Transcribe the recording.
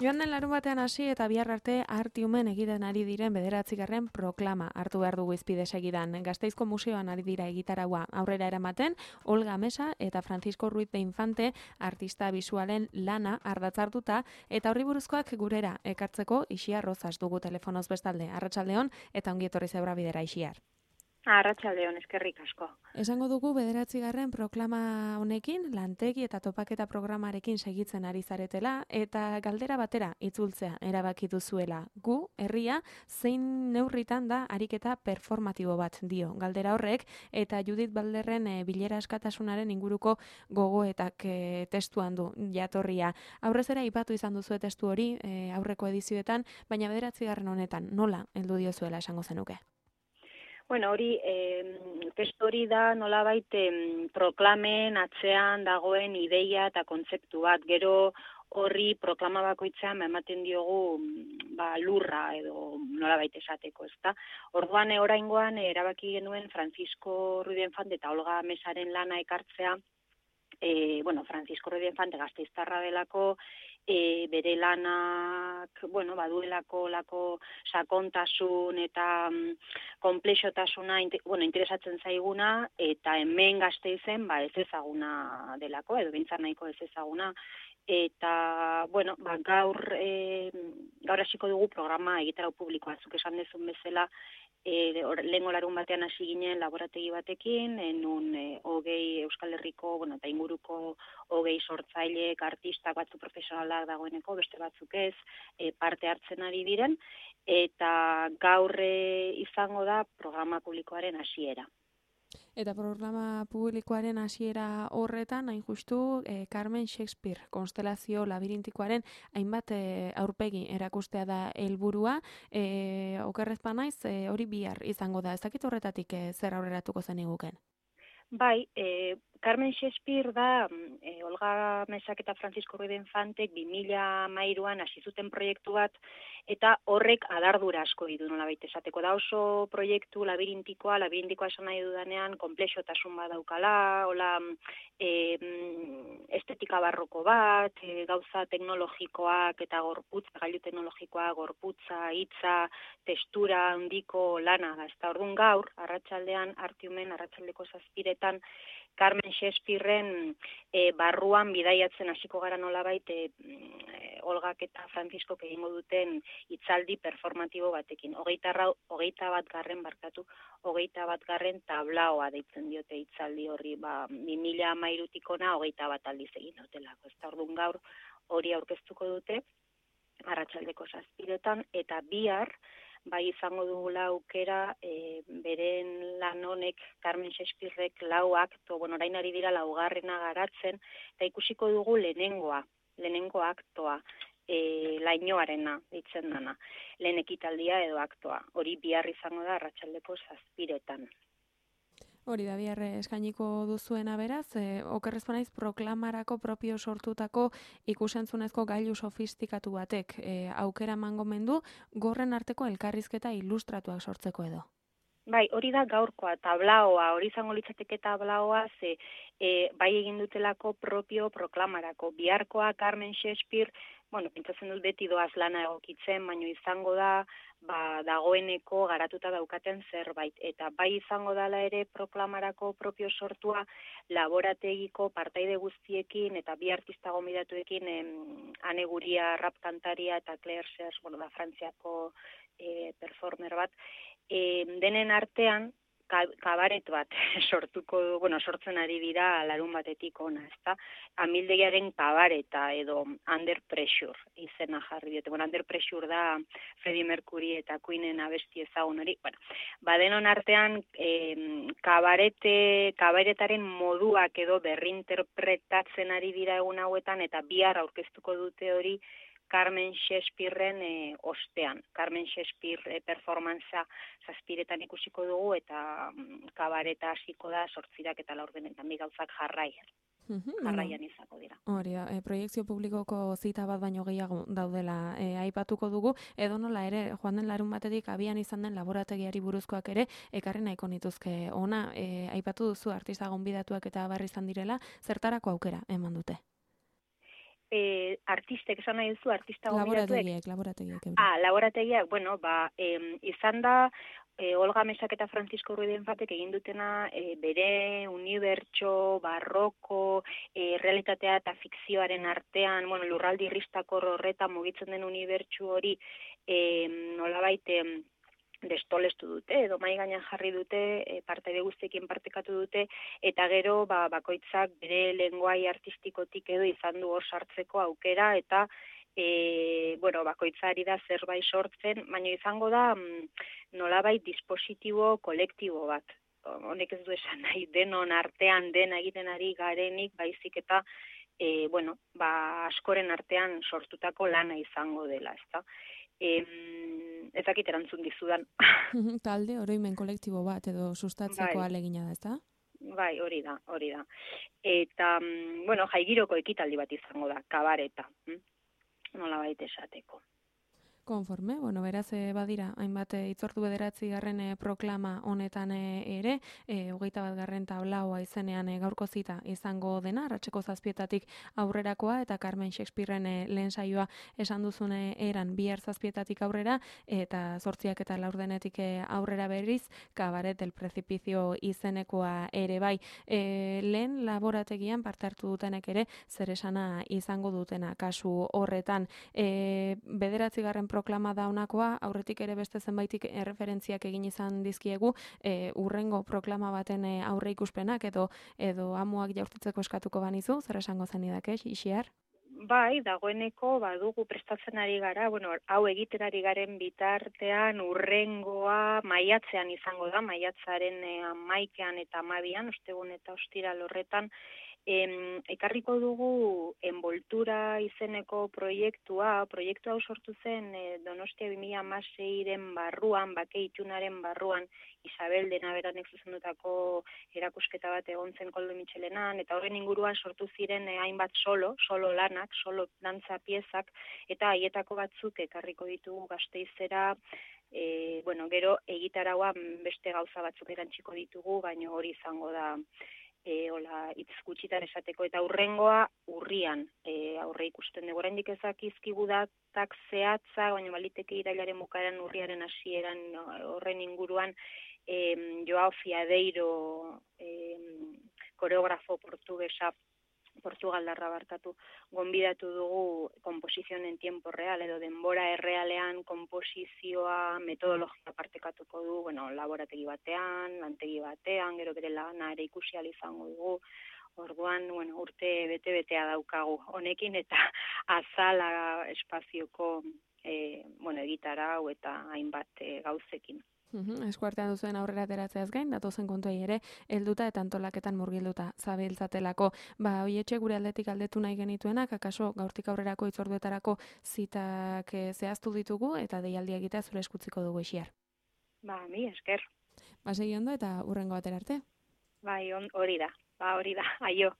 Joan den larunbatean hasi eta bihar arte Artiumen egiten ari diren 9. proklama hartu behar dugu izpide segidan. Gasteizko museoan ari dira egitaraua aurrera eramaten, Olga Mesa eta Francisco Ruiz de Infante artista bisualen lana ardatzartuta eta horri buruzkoak gurera ekartzeko Ixiar Rozas dugu telefonoz bestalde. Arratsaldeon eta ongi etorri Zebra Bidera, Ixiar. Arratsaldeon, eskerrik asko. Esango dugu 9. proklama honekin, lantegi eta topaketa programarekin segitzen ari zaretela, eta galdera batera itzultzea erabaki duzuela. Gu, herria, zein neurritan da ariketa performatibo bat dio. Galdera horrek, eta Judith Balderren bilera askatasunaren inguruko gogoetak testuan du jatorria. Aurrezera ipatu izan duzue testu hori aurreko edizioetan, baina 9. honetan nola heldu diozuela esango zenuke? Bueno, hori, testu hori da nolabait proklamen atzean dagoen ideia eta kontzeptu bat. Gero horri proklama bakoitzean ematen diogu lurra edo nolabait esateko, ezta? Orduan oraingoan erabaki genuen Francisco Ruiz de Infante eta Olga Mesaren lana ekartzea. Francisco Ruiz de Infante gasteiztarra delako, bere lanak, baduelako sakontasun eta konplexotasuna interesatzen zaiguna, eta hemen Gasteizen ez ezaguna delako, edo behintzat nahiko ez ezaguna, eta, gaur hasiko dugu programa egitarau publikoa, zuk esan dezun bezala, lehengo larun batean hasi ginen laborategi batekin, nun 20 Euskal Herriko, eta inguruko 20 sortzaileek, artistak batzuk profesionalak dagoeneko, beste batzuk ez, parte hartzen ari diren, eta gaur izango da programa publikoaren hasiera. Eta programa publikoaren hasiera horretan, hain justu, Carmen Shakespeare konstelazio labirintikoaren hainbat aurpegi erakustea da helburua. Okerrez naiz, hori bihar izango da. Ez dakit horretatik zer aurreratuko zen iguken? Bai, Carmen Shakespeare da Olga Mesak eta Francisco Ruiz de Infantek 2013an hasi zuten proiektu bat, eta horrek adardura asko ditu nolabait esateko. Da oso proiektu labirintikoa esan nahi dudanean, konplexotasun bat daukala, estetika barroko bat, gauza teknologikoak eta gorputza, gailu teknologikoa, gorputza, hitza, testura handiko lana da. Eta orduan gaur, arratsaldean, arratsaldeko 7 Carmen Shakespearen barruan bidaiatzen hasiko gara nolabait Olgak eta Franciscok egingo duten hitzaldi performatibo batekin. 21. tablaoa deitzen diote hitzaldi horri, 2013tik ona 21 aldiz egin dutelako. Ez da orduan gaur hori aurkeztuko dute arratsaldeko 7 eta bihar bai izango dugula aukera beren lan honek Carmen Shakespearek 4 akto, orain ari dira 4. garatzen, eta ikusiko dugu lehenengo aktoa, lainoarena deitzen dana, lehen ekitaldia edo aktoa. Hori bihar izango da arratsaldeko 7. Hori da, bihar eskainiko duzuena beraz, okerrez banaiz proklamarako propio sortutako ikusentzunezko gailu sofistikatu batek aukera emango mendu, gorren arteko elkarrizketa ilustratuak sortzeko edo. Bai, hori da gaurkoa, tablaoa, hori izango litzateke tablaoa, bai egin dutelako propio proklamarako. Biharkoa Carmen Shakespeare, pentsatzen dut beti doaz lana egokitzen, baina izango da, dagoeneko garatuta daukaten zerbait. Eta bai izango dala ere proklamarako propio sortua laborategiko partaide guztiekin eta bi artista gonbidatuekin, Ane Guria rap kantaria eta Claire Serge, da Frantziako performer bat, denen artean kabaret bat sortzen ari dira larun batetik ona, ezta? Amildegiaren kabareta edo Under Pressure izena jarri diote. Under Pressure da Freddie Mercury eta Queenen abesti ezagun hori. Denon artean kabaretaren moduak edo berrinterpretatzen ari dira egun hauetan, eta bihar aurkeztuko dute hori Carmen Shakespearen ostean. Carmen Shakespeare performanza 7 ikusiko dugu, eta kabareta hasiko da 8 eta 4, bi gauzak jarraian izako dira. Hori da, proiektzio publikoko zita bat baino gehiago daudela aipatuko dugu, edo nola ere, joan den larun batetik abian izan den laborategiari buruzkoak ere, ekarri nahiko nituzke ona, aipatu duzu artista gonbidatuak eta barri izan direla, zertarako aukera eman dute? artistek, esan nahi duzu, artista gonbidatuek? Laborategiek. Laborategiak, bueno, izan da, Olga Mesak eta Francisco Ruiz-Fatek egin dutena bere unibertso, barroko, realitatea eta fikzioaren artean, bueno, lurraldi irristakor horretan mugitzen den unibertsu hori nolabait destolestu dute, edo mai gainean jarri dute, partaide guztiekin partekatu dute, eta gero bakoitzak bere lenguai artistikotik edo izan du hor sartzeko aukera, eta bakoitzari da zerbait sortzen, baina izango da nolabait dispositibo kolektibo bat. Honek ez du esan nahi denon artean dena egiten ari garenik, baizik eta askoren artean sortutako lana izango dela, ezta? Ezakit erantzun dizudan. Talde, oroimen kolektibo bat edo sustatzeko alegina da, ezta? Bai, hori da. Eta, jaigiroko ekitaldi bat izango da, kabareta. Nolabait esateko. Konforme, beraz badira, hainbat itzordu 9. proklama honetan ere, 21. tablaua izenean gaurko zita izango dena, arratseko 7 aurrerakoa, eta Carmen Shakespearen lehen saioa esan duzune eran bihar 7 aurrera, eta 8 eta 4 aurrera berriz, Cabaret del Precipicio izenekoa ere bai. Lehen laborategian parte hartu dutenek ere, zer esana izango dutena kasu horretan. 9. proklama da honakoa, aurretik ere beste zenbaitik erreferentziak egin izan dizkiegu, urrengo proklama baten aurre ikuspenak edo amuak jaurtitzeko eskatuko banizu, zer esango zenidake, Ixiar? Bai, dagoeneko badugu prestatzen ari gara, hau egiterari garen bitartean urrengoa maiatzean izango da, maiatzaren 11 eta 12, ostegun eta ostiral horretan, ekarriko dugu envoltura izeneko proiektu hau sortu zen Donostia 2016-ren barruan, bake itunaren barruan, Isabel Denaberanek zuzendutako erakusketa bat egon zen Koldo Mitxelenan, eta horren inguruan sortu ziren hainbat solo lanak, solo dantza piezak, eta haietako batzuk ekarriko ditugu Gasteizera, gero egitarauan beste gauza batzuk erantsiko ditugu, baina hori izango da hitz gutxitan esateko, eta urrengoa urrian aurre ikusten dugu. Oraindik ezakizkigu datak zehatza, baina baliteke irailaren bukaeran urriaren hasieran horren inguruan Joao Fiadeiro koreografo Portugaldarra gonbidatu dugu komposizion en tiempo real, edo denbora errealean komposizioa metodologia partekatuko du, laborategi batean, lantegi batean, gero bere lana ere ikusi ahal izango dugu. Orduan, urte bete-betea daukagu honekin, eta azala espazioko egitarau eta hainbat gauzekin. Eskuartean duzuen aurrera ateratzeaz gain, datozen kontuei ere, helduta eta antolaketan murgilduta zabiltzatelako. Hoietxe gure aldetik aldetu nahi genituenak, akaso gaurtik aurrerako itzorduetarako zitak zehaztu ditugu, eta deialdi egitea zure eskutziko dugu, Ixiar. Mi esker. Segi ondo eta hurrengo batera arte. Hori da, aio.